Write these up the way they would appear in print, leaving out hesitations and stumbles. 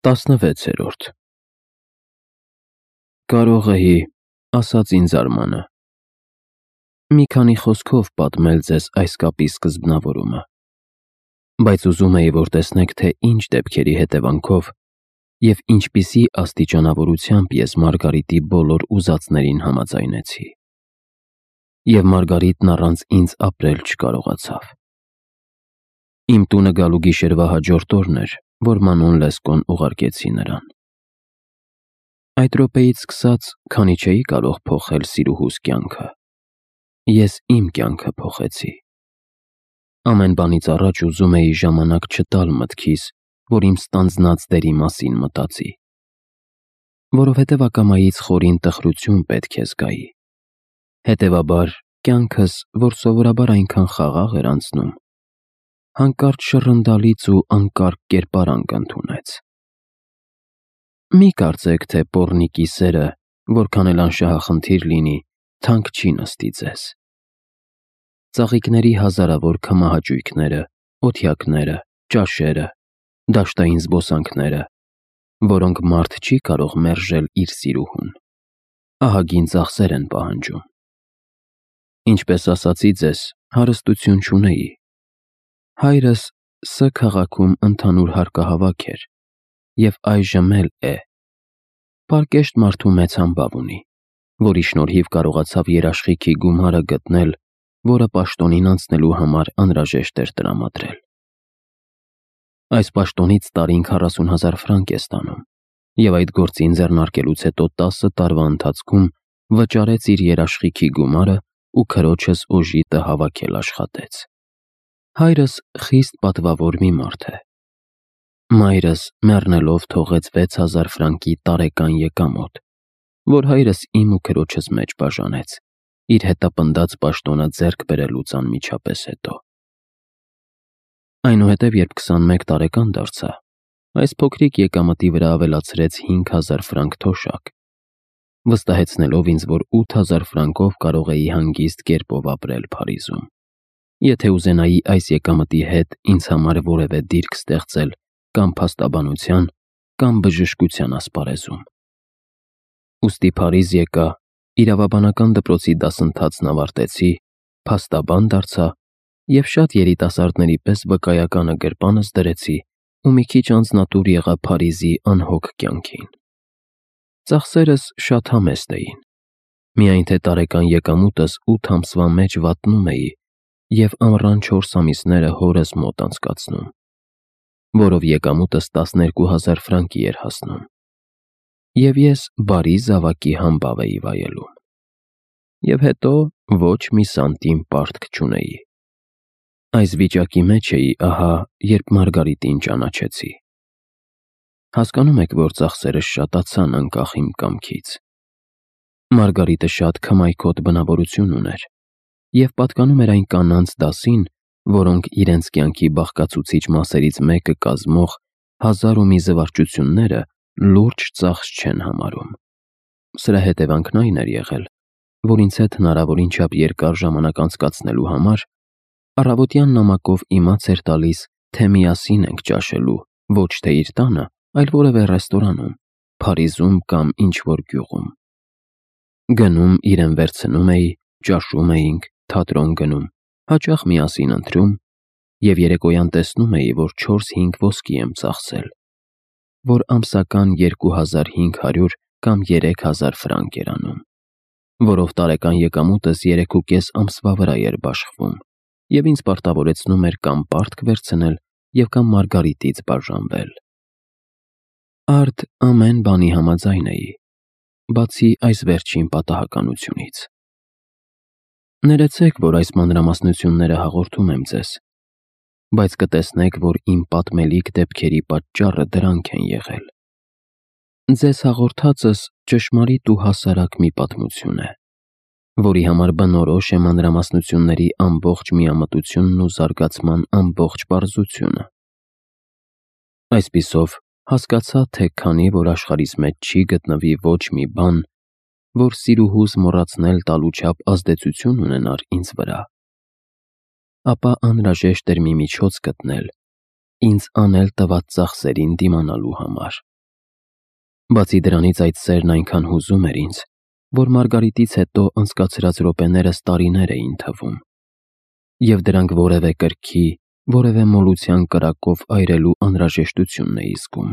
16-րդ Կարող էի, ասաց ինձ Արմանը, մի քանի խոսքով պատմել ձեզ այս կապի սկզբնավորումը, բայց ուզում էի, որ տեսնեք, թե ինչ դեպքերի հետևանքով և ինչպիսի աստիճանավորությամբ ես Մարգարիտի բոլոր ուզածներին համաձայնեցի։ Եվ Մարգարիտն առանց ինձ ապրել չկարողացավ։ Իմ տունը գալու գիշերվա հաջորդ օրն էր, որ Մանոն Լեսկոն ուղարկեցի նրան։ Այդ րոպեից սկսած, քանի չէի կարող փոխել սիրուհուս կյանքը, ես իմ կյանքը փոխեցի։ Ամեն բանից առաջ ուզում էի ժամանակ չտալ մտքիս, որ իմ ստանձնած դերի մասին մտածի, որովհետև ակամայից խորին տխրություն պետք է զգայի։ Հետևաբար, կյանքս, որ սովորաբար այնքան խաղաղ էր անցնում, հանկարծ շռնդալից ու անկարգ կերպարանք ընդունեց։ Մի կարծեք, թե պոռնիկի սերը, որքան էլ անշահախնդիր լինի, թանկ չի նստի ձեզ։ Ծաղիկների հազարավոր քմահաճույքները, օթյակները, ճաշերը, դաշտային զբոսանքները, որոնք մարդ չի կարող մերժել իր սիրուհուն, ահագին ծախսեր են պահանջում։ Ինչպես ասացի ձեզ, հարստություն չունեի։ Հայրս Ս քաղաքում ընդհանուր հարկահավաք էր և այժմ էլ է։ Պարկեշտ մարդու մեծ համբավ ունի, որի շնորհիվ կարողացավ երաշխիքի գումարը գտնել, որը պաշտոնին անցնելու համար անհրաժեշտ էր տրամադրել։ Այս պաշտոնից տարին 40,000 ֆրանկ է ստանում, և այդ գործին ձեռնարկելուց հետո 10 տարվա ընթացքում վճարեց իր երաշխիքի գումարը ու քրոջս օժիտը հավաքել աշխատեց։ Հայրս խիստ պատվավոր մի մարդ է։ Մայրս մեռնելով թողեց 6000 ֆրանկի տարեկան եկամուտ, որ հայրս իմ ու քրոջս մեջ բաժանեց, իր հետապնդած պաշտոնը ձեռք բերելուց անմիջապես հետո։ Այնուհետև, երբ 21 տարեկան դարձա, այս փոքրիկ եկամտի վրա ավելացրեց 5000 ֆրանկ թոշակ, վստահեցնելով ինձ, որ 8000 ֆրանկով կարող էի հանգիստ կերպով ապրել Փարիզում, եթե ուզենայի այս եկամտի հետ ինձ համար որևէ դիրք ստեղծել կամ փաստաբանության, կամ բժշկության ասպարեզում։ Ուստի Փարիզ եկա, իրավաբանական դպրոցի դասընթացն ավարտեցի, փաստաբան դարձա և շատ երիտասարդների պես վկայականը գրպանս դրեցի ու մի քիչ անձնատուր եղա Փարիզի անհոգ կյանքին։ Ծախսերս շատ համեստ էին, միայն թե տարեկան եկամուտս 8 ամսվա մեջ վատնում էի և ամռան 4 ամիսները հորս մոտ անցկացնում, որով եկամուտս 12000 ֆրանկի էր հասնում, և ես բարի զավակի համբավ էի վայելում։ Եվ հետո ոչ մի սանտիմ պարտք չունեի։ Այս վիճակի մեջ էի ահա, երբ Մարգարիտին ճանաչեցի։ Հասկանում եք, որ ծախսերս շատացան անկախ իմ կամքից։ Մարգարիտը շատ քմայքոտ բնավորություն ուներ և պատկանում էր այն կանանց դասին, որոնք իրենց կյանքի բաղկացուցիչ մասերից մեկը կազմող 1000 ու մի զվարճությունները լուրջ ծախս չեն համարում։ Սրա հետևանքն այն էր եղել, որ ինձ հետ հնարավորին չափ երկար ժամանակ անցկացնելու համար առավոտյան նամակով իմաց էր տալիս, թե միասին ենք ճաշելու ոչ թե իր տանը, այլ որևէ ռեստորանում, Փարիզում կամ ինչ-որ գյուղում։ Գնում իրեն վերցնում էի, ճաշում էինք, թատրոն գնում, հաճախ միասին ընթրում և երեկոյան տեսնում էի, որ 4-5 ոսկի եմ ծախսել, որ ամսական 2500 կամ 3000 ֆրանկ էր անում, որով տարեկան եկամուտս 3,5 ամսվա վրա էր բաշխվում և ինձ պարտավորեցնում էր կամ պարտք վերցնել և կամ Մարգարիտից բաժանվել։ Արդ ամեն բանի համաձայն էի, բացի այս վերջին պատահականությունից։ Ներեցեք, որ այս մանրամասնությունները հաղորդում եմ ձեզ, բայց կտեսնեք, որ իմ պատմելիք դեպքերի պատճառը դրանք են եղել։ Ձեզ հաղորդածս ճշմարիտ ու հասարակ մի պատմություն է, որի համար բնորոշ է մանրամասնությունների ամբողջ միամտությունն ու զարգացման ամբողջ պարզությունը։ Այսպիսով, հասկացա, թե քանի որ աշխարհիս մեջ չի գտնվի ոչ մի բան, որ սիրուհուս մոռացնել տալու չափ ազդեցություն ունենար ինձ վրա, ապա անհրաժեշտ էր մի միջոց գտնել ինձ անել տված ծախսերին դիմանալու համար։ Բացի դրանից այդ սերն այնքան հուզում էր ինձ, որ Մարգարիտից հետո անցկացրած րոպեներս տարիներ էին թվում, և դրանք որևէ կրքի, որևէ մոլության կրակով այրելու անհրաժեշտությունն էի զգում,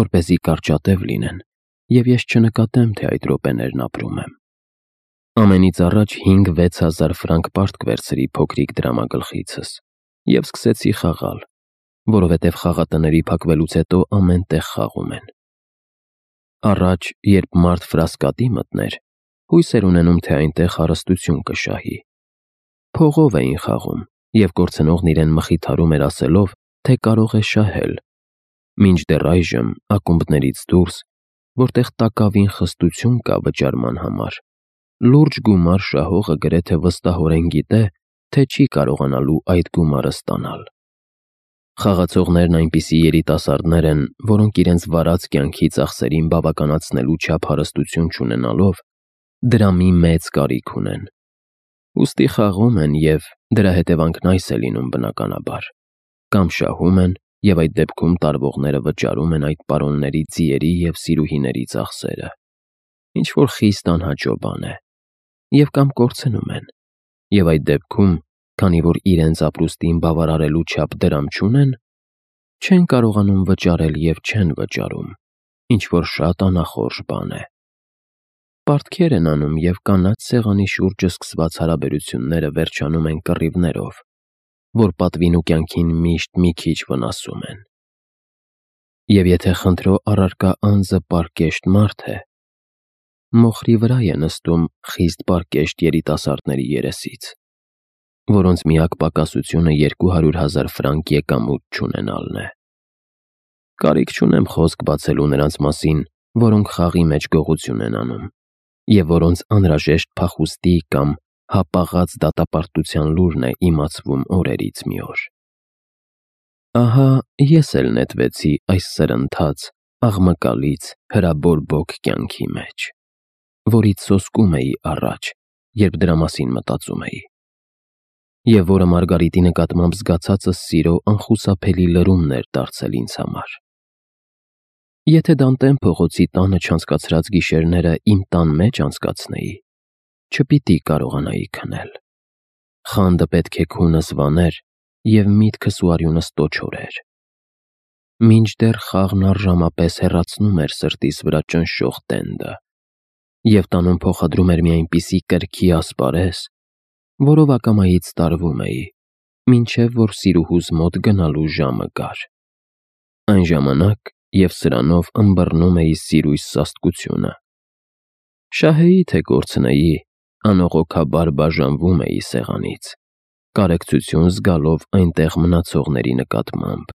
որպեսզի կարճատև լինեն, և ես չնկատեմ, թե այդ րոպեներն ապրում եմ։ Ամենից առաջ 5-6 հազար ֆրանկ պարտք վերցրի փոքրիկ դրամագլխիցս և սկսեցի խաղալ, որովհետև խաղատների փակվելուց հետո ամեն տեղ խաղում են։ Առաջ, երբ մարդ Ֆրասկատի մտներ, հույս էր ունենում, թե այնտեղ հարստություն կշահի։ Փողով էին խաղում, և կորցնողն իրեն մխիթարում էր ասելով, թե կարող է շահել, մինչդեռ այժմ ակումբներից դուրս, որտեղ տակավին խստություն կա վճարման համար, լուրջ գումար շահողը գրեթե վստահորեն գիտե, թե չի կարողանալու այդ գումարը ստանալ։ Խաղացողներն այնպիսի երիտասարդներ են, որոնք իրենց վարած կյանքի ծախսերին բավականացնելու չափ հարստություն չունենալով, դրամի մեծ կարիք ունեն։ Ուստի խաղում են, և դրա հետևանքն այս է լինում բնականաբար. կամ շահում են, և այդ դեպքում տարվողները վճարում են այդ պարոնների ձիերի և սիրուհիների ծախսերը, ինչ-որ խիստ անհաճո բան է, և կամ կորցնում են, և այդ դեպքում, քանի որ իրենց ապրուստին բավարարելու չափ դրամ չունեն, չեն կարողանում վճարել և չեն վճարում, ինչ-որ շատ անախորժ բան է։ Պարտքեր են անում, և կանաչ սեղանի շուրջը սկսված հարաբերությունները վերջանում են կռիվներով, որ պատվին ու կյանքին միշտ մի քիչ վնասում են։ Եվ եթե խնդրո առարկա անձը պարկեշտ մարդ է, մոխրի վրա է նստում խիստ պարկեշտ երիտասարդների երեսից, որոնց միակ պակասությունը 200,000 ֆրանկ եկամուտ չունենալն է։ Կարիք չունեմ խոսք բացելու նրանց մասին, որոնք խաղի մեջ գողություն են անում, և որոնց անհրաժեշտ փախուստի կամ հապաղած դատապարտության լուրն է իմացվում օրերից մի օր։ Ահա ես էլ նետվեցի այս սրընթաց աղմկալից հրաբորբոք կյանքի մեջ, որից սոսկում էի առաջ, երբ դրա մասին մտածում էի, և որը Մարգարիտի նկատմամբ զգացածս սիրո անխուսափելի լրումն էր դարձել ինձ համար։ Եթե Դանտեն փողոցի տանը չանցկացրած գիշերները իմ տան մեջ անցկացնեի, չպիտի կարողանայի քնել։ Խանդը պետք է քունս վաներ, և միտքս ու արյունս տոչորեր։ Մինչդեռ խաղն առժամապես հեռացնում էր սրտիս վրա ճնշող տենդը, և տանում փոխադրում էր մի այնպիսի կրքի ասպարեզ, որով ակամայից տարվում էի, մինչև որ սիրուհուս մոտ գնալու ժամը գար։ Այն ժամանակ և սրանով ըմբռնում էի սիրույս սաստկությունը։ Շահեի թե կորցնեի, անողոքաբար բաժանվում էի սեղանից, կարեկցություն զգալով այնտեղ մնացողների նկատմամբ,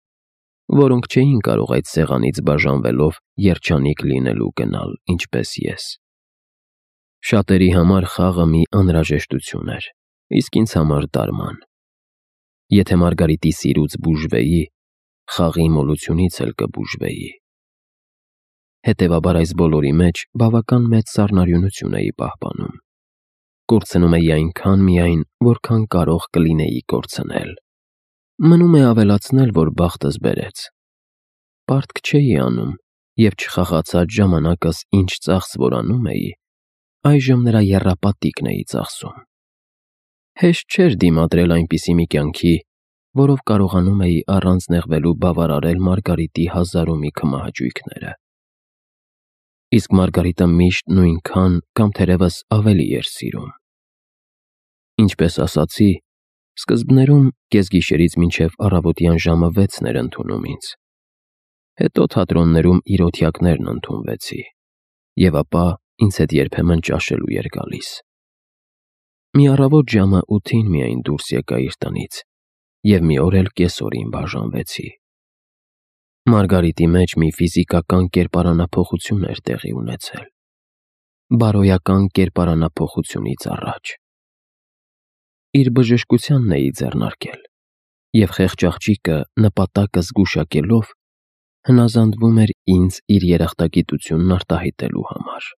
որոնք չէին կարող այդ սեղանից բաժանվելով երջանիկ լինելու գնալ, ինչպես ես։ Շատերի համար խաղը մի անհրաժեշտություն էր, իսկ ինձ համար դարման։ Եթե Մարգարիտի սիրուց բուժվեի, խաղի մոլությունից էլ կբուժվեի։ Հետևաբար այս բոլորի մեջ բավական մեծ սառնարյունություն էի պահպանում։ Կորցնում էի այնքան միայն, որքան կարող կլինեի կորցնել։ Մնում է ավելացնել, որ բախտս բերեց։ Պարտք չէի անում, և չխաղացած ժամանակս ինչ ծախս որ անում էի, այժմ նրա եռապատիկն էի ծախսում։ Հեշտ չէր դիմադրել այնպիսի մի կյանքի, որով կարողանում էի առանց նեղվելու բավարարել Մարգարիտի հազար ու մի քմահաճույքները։ Իսկ Մարգարիտը միշտ նույնքան կամ թերևս ավելի էր սիրում։ Ինչպես ասացի, սկզբներում կեսգիշերից մինչև առավոտյան ժամը 6-ն էր ընդունում ինձ։ Հետո թատրոններում իրոթյակներն ընդունվեցի, և ապա ինձ հետ երբեմն ճաշելու էր գալիս։ Մի առավոտ ժամը 8-ին միայն դուրս եկա իր տնից, և մի օր էլ կեսօրին բաժանվեցի։ Մարգարիտի մեջ մի ֆիզիկական կերպարանափոխություն էր տեղի ունեցել, բարոյական կերպարանափոխությունից առաջ։ Իր բժշկությանն էի ձեռնարկել, և խեղճ աղջիկը նպատակը զգուշակելով հնազանդվում էր ինձ իր երախտագիտությունն արտահայտելու համար։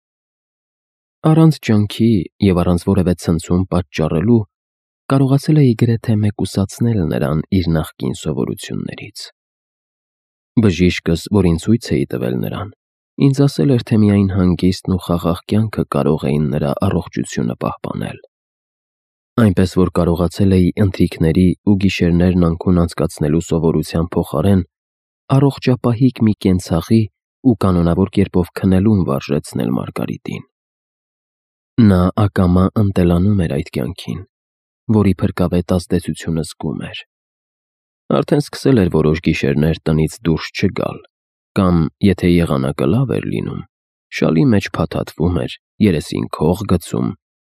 Առանց ջանքի և առանց որևէ ցնցում պատճառելու կարողացել էի գրեթե մեկուսացնել նրան իր նախկին սովորություններից։ Բժիշկս, որին ցույց էի տվել նրան, Ինձ ասել էր, թե միայն հանգիստն ու խաղաղ կյանքը կարող էին նրա առողջությունը պահպանել։ Այնպես որ կարողացել էի ընթրիքների ու գիշերներն անքուն անցկացնելու սովորության փոխարեն առողջապահիկ մի կենցաղի ու կանոնավոր կերպով քնելուն վարժեցնել Մարգարիտին։ Նա ակամա ընտելանում էր այդ կյանքին, որի փրկավետ ազդեցությունը զգում էր։ Արդեն սկսել էր որոշ գիշերներ տնից դուրս չգալ, կամ, եթե եղանակը լավ էր լինում, շալի մեջ փաթաթվում էր, երեսին քող գցում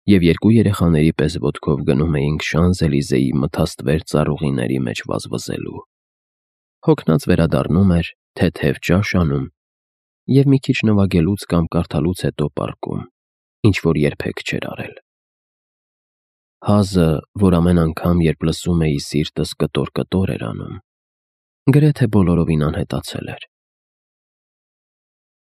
և երկու երեխաների պես ոտքով գնում էինք Շանզելիզեի մթաստվեր ծառուղիների մեջ վազվզելու։ Հոգնած վերադառնում էր, թեթև ճաշ անում և մի քիչ նվագելուց կամ կարդալուց հետո պառկում, ինչ-որ երբեք չէր արել։ Հազը, որ ամեն անգամ, երբ լսում էի, սիրտս կտոր-կտոր էր անում, գրեթե բոլորովին անհետացել էր։